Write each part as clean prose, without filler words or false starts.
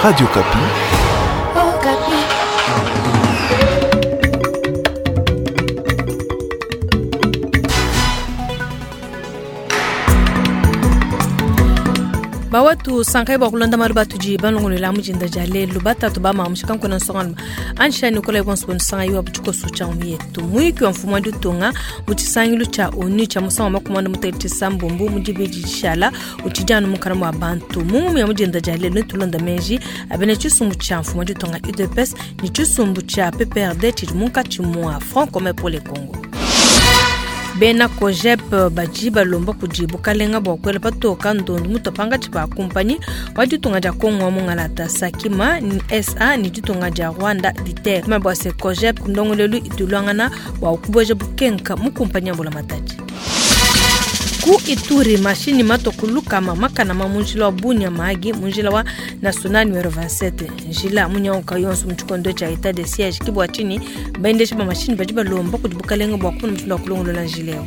Radio Okapi. Okapi. Bawatu sankai bua kulonda malu batudi balongolola mu dinda dia lelu batatu ba mamu kankuna nsongalume ansha nikola bonso bonusanga iwa butshikoso tshia yetu muyiki wa mfumu wa ditunga mu tshisangilu tshia onu tshia musangu wa makumi anda mutekete tshisambombo mu dibidi dishala utshidi anu munkana mua bantu mu ngumu ya mu dinda dia lelu netulonda meji abena tshisumbu tshia mfumu wa ditunga udps ne tshisumbu tshia pprd tshidi munkatshi mua front commun pour le congo. Bena COJEP badi balomba kudi bukalenga bua kuela patoka ndondu mutua pankatshi pa kumpanyi wa ditunga dia Congo wa mungalata Sakima ni SA ni ditunga dia Rwanda Diter kuma bua se COJEP ndongoluelu ituluangana bua kubueja bukenka mu kumpanyi ya mbulamatadi. Ku Ituri mashini matua ku lukama makana ma mu njila wa Bunia Mahagi mu njila wa national numero 27 njila munyauka yonso mu tshikondo tshia etat de siège ki bua tshinyi baendesha ba mashini badi balomba kudi bukalenga bua kumona mushindu wa kulongolola njila eu.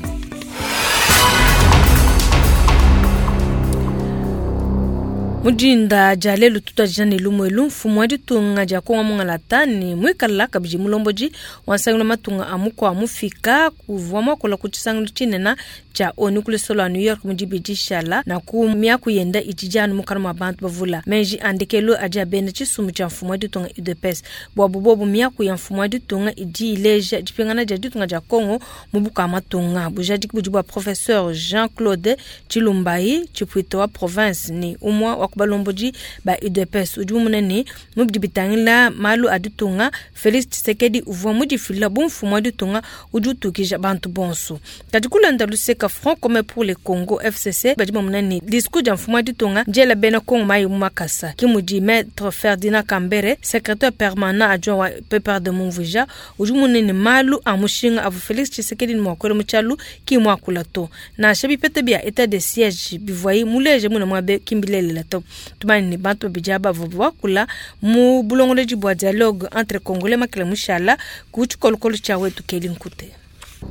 Mu dinda dia lelu tutuadija ne lumu elu mfumu wa ditunga dia Kongo mungalata ne muikala kabidi mulombodi wa nsangilu wa matunga a mukua mufika kuvua muakula ku tshisangilu tshinene tshia ONU ku lusolo lua New York mu dibidi dishala na ku miaku yenda itshidi anu mukana mua bantu bavula meji a ndekelu adi abenda tshisumbu tshia mfumu wa ditunga UDPS buabu bobu miaku ya mfumu wa ditunga idi ileja dipingana dia ditunga dia Kongo mu buka matunga bujadiki budi bua professeur Jean-Claude Tshilumbayi tshipuita wa province ni umua wa kubalombodi ba UDPS udi mumune ne mu bidi bitangila malu a ditunga Felix Tshisekedi uvua mudifila bu mfumu wa ditunga udi utukija bantu bonso kadi kulonda luseka Front commun pour le Congo FCC badi bamona ne discours dia mfumu wa ditunga ndiela bena Congo mayi mu makasa ki mudi maître Ferdinand Kambere secrétaire permanent adjoint wa PPRD mumvuija udi mumone ne malu a mushinga avua Felix Tshisekedi ne muakuela mu tshialu ki muakula to nansha bipeta bia etat de siège bivuayi muleje muna muabe kimbilelela to tumanye ne bantu babidi aba bavua bakula mu bulongolodi bua dialogue entre congolais makele mushala ku tshikolokolo tshia wetu Keli Nkute.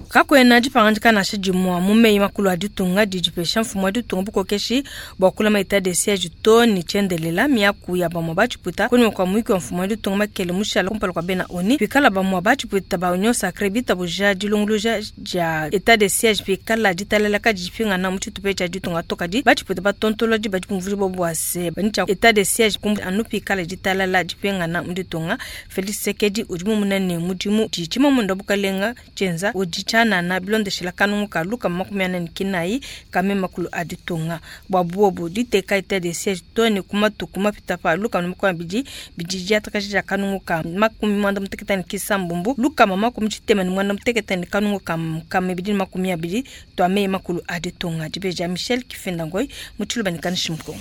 Kakuena dipangadika nansha dimue mu meyi makulu a ditunga didi dipesha mfumu wa ditunga bukokeshi bua kulama etat de siège to ne tshiendelela miaku ya bamue batshipuita kunyima kua muyuki wa mfumu wa ditunga makele mushala kumpala kua bena ONU pikala bamue batshipuita ba union sacrée bitabuja dilongoloja dia etat de siège pikala ditalala kadi dipingana mu tshitupa tshia ditunga to kadi batshipuita batontolodi badi bumvuija bobu bua se bani tshia etat de siège kumbu anu pikala ditalala dipingana mu ditunga Felix Tshisekedi udi mumune ne mudimu di tshimamunda bukalenga tshienza udi tshianana bilondeshela kanungu ka luka 49 kame makulu a ditunga bua buobu diteka etat de siège to ne ku matuku mapita pa luka 20 bidi diatakaja dia kanungu ka 96 luka 69 kanungu ka 220 tua meyi makulu a ditunga dibeja Michel Kifendangoi mu tshiluba ne Kanishi Mukongo.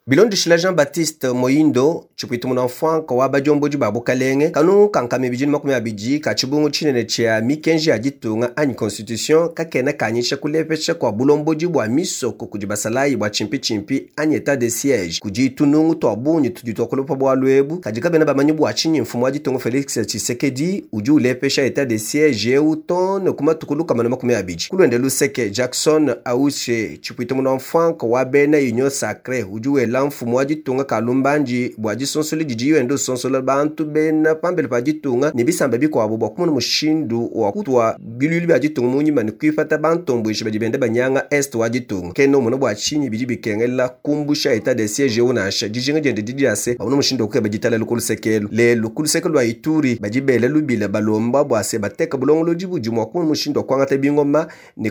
Bilondeshela Jean-Baptiste Moindo tshipuita munamfwanka wa badiomboji ba bukalenge kanungu kankame bidi 20 ka tshibungu tshinene tshia mikenji ya ditunga anyi constitution kakena kanyisha kulepesha kua bulomboji bua misoko kudi basalayi bua tshimpitshimpi anyi etat de siège kudi tunungu tua bungi tudi tuakulupa bualu ebu kadi kabena bamanyi bua tshinyi mfumu wa ditunga Felix Tshisekedi udi ulepesha etat de siège eu tone ku matuku lukama na 20 kulwende luseke Jackson Aushe tshipuita munamfwanka wa bena Union Sacrée udi wela mfumu wa ditunga kalumbandi bua disonsola didi yenda usonsola bantu bena pambele pa ditunga ne bisamba bikuabu bua kumona mushindu wa kutua bilulu bia ditunga munyima ne kuipata bantombuishi badi benda banyanga est wa ditunga kena umona bua tshinyi bidi bikengela kumbusha etat de siège eu nansha dijinga diende didi dia se bamona mushindu wa kukeba ditalala ku lusekelu lelu ku luseke lua Ituri badi bela lubila balomba bua se bateka bulongolodi budi mua kumona mushindu wa kuangata bingoma ne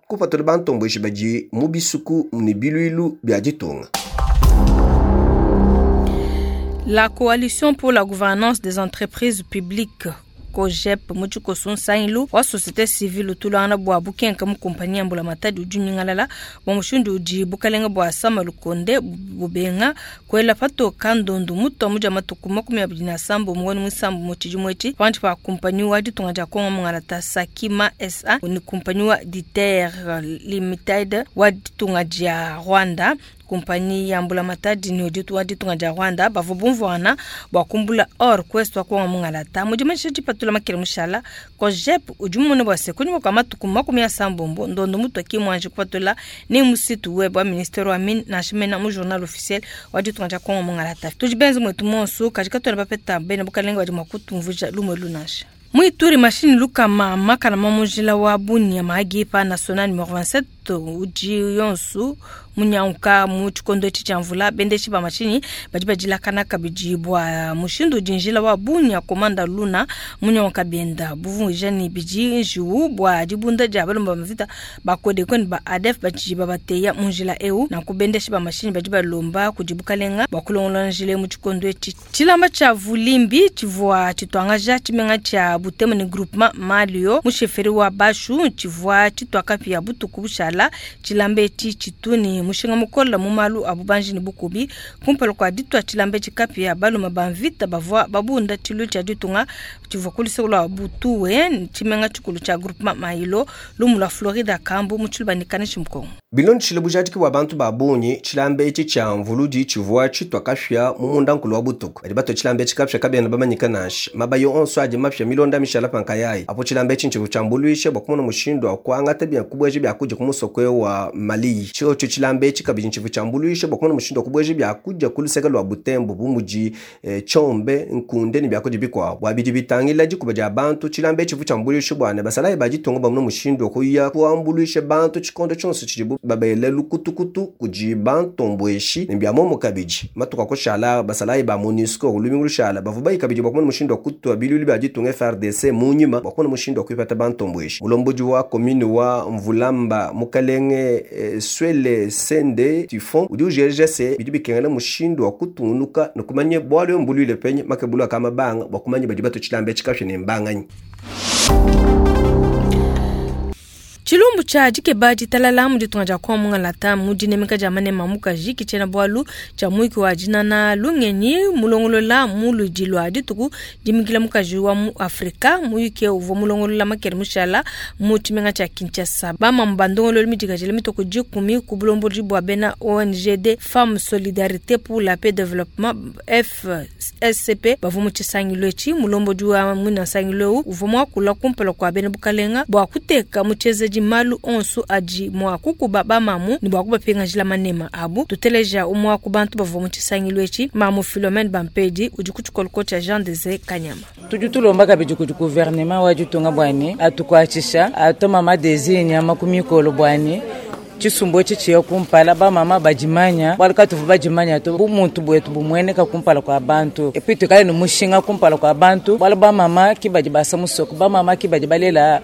kupatula bantombuishi badi mu bisuku ne biluilu bia ditunga. La coalition pour la gouvernance des entreprises publiques COJEP mu tshikoso nsangilu wa société civile utulangana bua bukenka mu kumpanyi ya mbulamatadi udi unyingalala bua mushindu udi bukalenga bua Sama Lukonde bubenga kuela patoka ndondu mutua mudia matuku 27 muwani musambu mu tshidimu etshi panshi pa kumpanyi wa ditunga dia Kongo mungalata Sakima SA ni kumpanyi wa Diter Limited wa ditunga dia Rwanda. Kumpanyi ya mbulamatadi ne udi wa ditunga dia Rwanda bavua bumvuangana bua kumbula or ku Est wa Kongo mungalata. Mu dimanyisha dipatula makele mushala, COJEP udi mumone bua se kunyima kua matuku 30 ndondo mutua ki muanji kupatula ni mu site web wa ministere wa mine nansha mena mu journal officiel wa ditunga dia Kongo mungalata. Tudi benze muetu monsu kadi katuena bapeta bena bukalenge badi mua kutumvuija lumu elu nansha. Mu Ituri mashinyi lukama makana ma mu njila wa Bunia Mahagi pa national numero 27 udi yonsu munyanguka mu tshikondo etshi tshia mvula. Bendeshi ba mashinyi badi badilakana kabidi bua mushindu udi njila wa Bunia Komanda Luna munyanguka bienda buvunguija ne bidi njiwu bua dibunda dia balomba ba mvita ba Codeco ne ba ADF badi babateya mu njila eu. Nanku bendeshi ba mashinyi badi balomba kudi bukalenga bua kulongolola njila mu tshikondo etshi. Tshilamba tshia Vulimbi tshivua tshituangaja tshimenga tshia Butembo ne groupement Malio mu chefferie wa Bashu tshivua tshitua kapia butuku bushala. Tshilamba etshi tshitu ne mushinga mukole mu malu a bubanji ne bukubi. Kumpala kua ditua tshilamba etshi kapia, balume ba mvita bavua babunda tshilu tshia ditunga tshivua ku luseke lua Butuwe, tshimenga tshikulu tshia groupement Mailo, lumu lua Florida Kambu mu tshiluba ne Kanishi Mukongo. Bilondeshile bujadiki bua bantu ba bungi, tshilamba etshi tshia mvuludi tshivua tshitua kapia mu mundankulu wa butuku. Badi batua tshilamba etshi kapia kabena bamanyika nansha. Mabayi onso adi mapia milonda mishala pa nkayayi. Apo tshilamba etshi ntshivua tshiambuluisha bua kumona mushindu wa kuangata bia kubueja biakudia ku musoko wa Maliyi. Tshiotshio tshilamba etshi kabidi ntshivua tshiambuluisha bua kumona mushindu wa kubueja biakudia ku luseke lua Butembo bu mudi tshiombe, nkunde ne biakudia bikuabu. Bua bidi bitangila dikuba dia bantu, tshilamba etshi tshivua tshiambuluisha bua ne basalayi ba ditunga bamone mushindu wa kuya kuambuluisha bantu tshikondo tshionso tshidibu babele lukutukutu kudi bantombueshi ne bia muomu kabidi. Matuku akushala basalayi ba MONUSCO lumingu lushala bavua bayi kabidi bua kumona mushindu wa kutua biluilu bia ditunga FARDC mu nyima bua kumona mushindu wa kuipata bantombueshi. Mulombodi wa commune wa Mvulamba mukalenge Swele Sende Tifon udi ujeja se bidi bikengela mushindu wa kutungunuka ne kumanya bualu mbuluile penye makebulu akamabanga bua kumanya badi batua tshilamba etshi kapia ne mbanganyi. Tshilumbu tshia dikeba ditalala mu ditunga dia Kongo mungalata mu dinemeka dia manema mukaji ki tshiena bualu tshia muyuki wa dinana lungenyi mulongolola mu ludi lua dituku dimikila mukaji wa mu Afrika. Muyuki uvua mulongolola makele mushala mu tshimenga tshia Kinshasa. Bamamu ba ndongololo midikajile mitoko 10 ku bulombodi bua bena ONGD Femmes Solidarité pour la Paix Développement FSCP bavua mu tshisangilu etshi. Mulombodi wa muina nsangilu eu uvua muakula kumpala kua bena bukalenga bua kuteka mu tshienzedi malu onso adi mua kukuba bamamu ne bua kubapingajila manema abu. Tuteleja umwe wa ku bantu bavua mu tshisangilu etshi, mamu Philomène Bampedi udi ku tshikoloko tshia Jean Desire Kanyama. Tudi tulomba kabidi kudi gouvernement wa ditunga bua ne atukuatshisha atuma mama Desire nyama ku mikolo bua ne tshisumbu etshi tshiya kumpala bamama badimanya bualu katuvu badimanya to bumuntu buetu bumueneka kumpala kua bantu et puis tuikale ne mushinga kumpala kua bantu bualu bamama ki badi basa musoko, bamama ki badi balela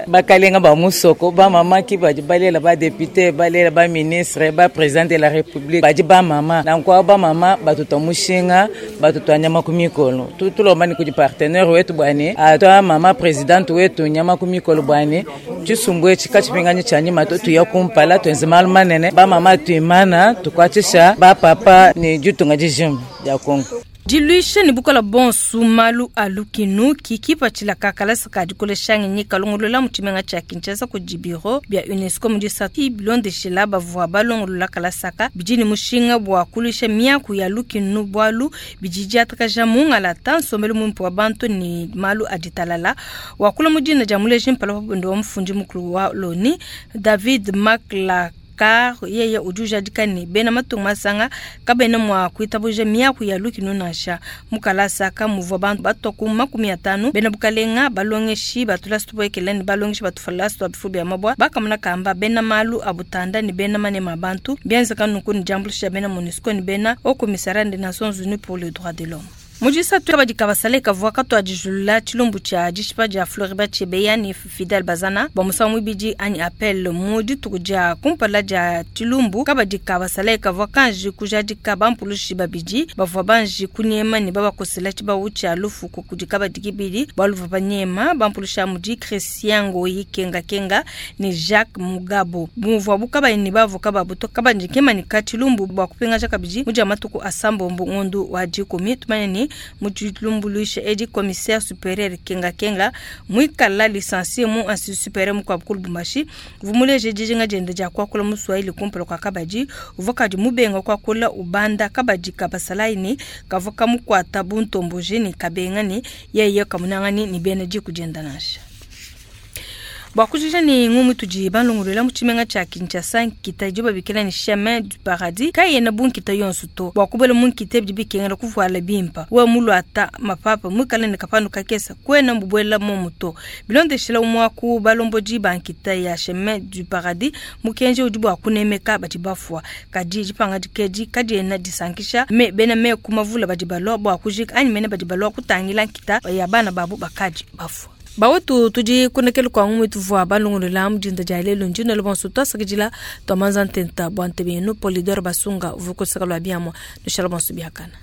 bakalenga ba musoko, bamama ki badi balela ba député, balela ba ministre, ba président de la république badi bamama. Nanku bamama batutua mushinga batutua nyama ku mikolo. Tulomba ni kudi partenaire wetu bua ne atwa mama présidente wetu nyama ku mikolo bua ne tshisumbu etshi katshipinganyi tshia nyima to tuya kumpala tuenze malu manene bamama tuimana tukuatshisha bapapa ne ditunga dijima dia Kongo. Diluisha ne bukola bonso malu a lukinu kikipatshila kakalasa ka dikolesha ngenyi kalongolola mu tshimenga tshia Kinshasa kudi biro bia UNESCO mu disatu bilondeshela bavua balongolola kalasaka bidi ne mushinga bua kuluisha miaku ya lukinu bualu bidi diatakaja mungalata nsombelu muimpe wa bantu ne malu a ditalala. Wakula mu dina dia muleji mpala wa wa mufundi mukulu wa Loni David Makla Car yeye udi ujadika ne bena matunga masanga kabena mua kuitabuja miaku ya lukinu nansha. Mukalasa kamuvua bantu batua ku 50 bena bukalenga balongeshi batulasi tuboekele ne balongeshi batufalasi twa bifu bia mabwa bakamona kamba bena malu abutanda ne bena manema bantu bienzeka nunku ne diambuluisha bena MONUSCO ne bena Haut Commissariat des Nations Unies pour les droits de l'homme. Mu disatu kabadi kabasale kavua katuadijulula tshilumbu tshia dishipa dia Floribert Chebeya ne Fidel Bazana bua musangu muibidi anyi appel mu dituku dia kumpala dia tshilumbu. Kabadi kabasale kavua kanji kujadika bampulushi babidi bavua banji kunyema ne babakosela tshibawu tshia lufu kudi kabadi kibidi bualu bavua banyema bampulushi mudi Christian Ngoyi Kenga Kenga ne Jacques Mugabo bumvua kabayi ne bavoka babu to kabandi kemanika tshilumbu bua kupingaja kabidi mu dia matuku asambombo ngondu wa 10 tumanye ne. bungi mu dilumbuluisha edi. Commissaire superieur Kenga Kenga muikala licencié mu institut superieur mukuabu ku Lubumbashi uvua muleje dijinga diende dia kuakula mu Swahili kumpala kua kabadi. Uvua kadi mubenga kuakula ubanda kabadi ka basalayi ne kavua kamukuata buntomboji ne kabenga ne yeye kamunangani ne bena diku dienda nansha. Bua kujija ne ngumu tudi balongolola mu tshimenga tshia Kinshasa, nkita idibo babikila ne Chemin du Paradis kayena bu nkita yonso to. Bua kubuela mu nkita bidi bikengela kuvuala bimpa. Wewe muluata mapapa muikale ne kapanu kakese kuena mubuela momu to. Bilondeshila umue wa ku balombodi ba nkita ya Chemin du Paradis, mukenji udi bua kunemeka badi bafua. Kadi dipangadika edi kadiena disankisha me bena meku mavula badi balua bua kujika anyi mene badi balua kutangila nkita ya bana babu bakadi bafua. Bawetu tudi kunekelu kua ngumu ituvua balongolola mu dinda dia lelu. Ndi nuela bonso tuasakidila tua manza ntenta bua ntebe yenu. Polidor Basunga uvua ku luseke lua biamua. Nushala bonso biakana.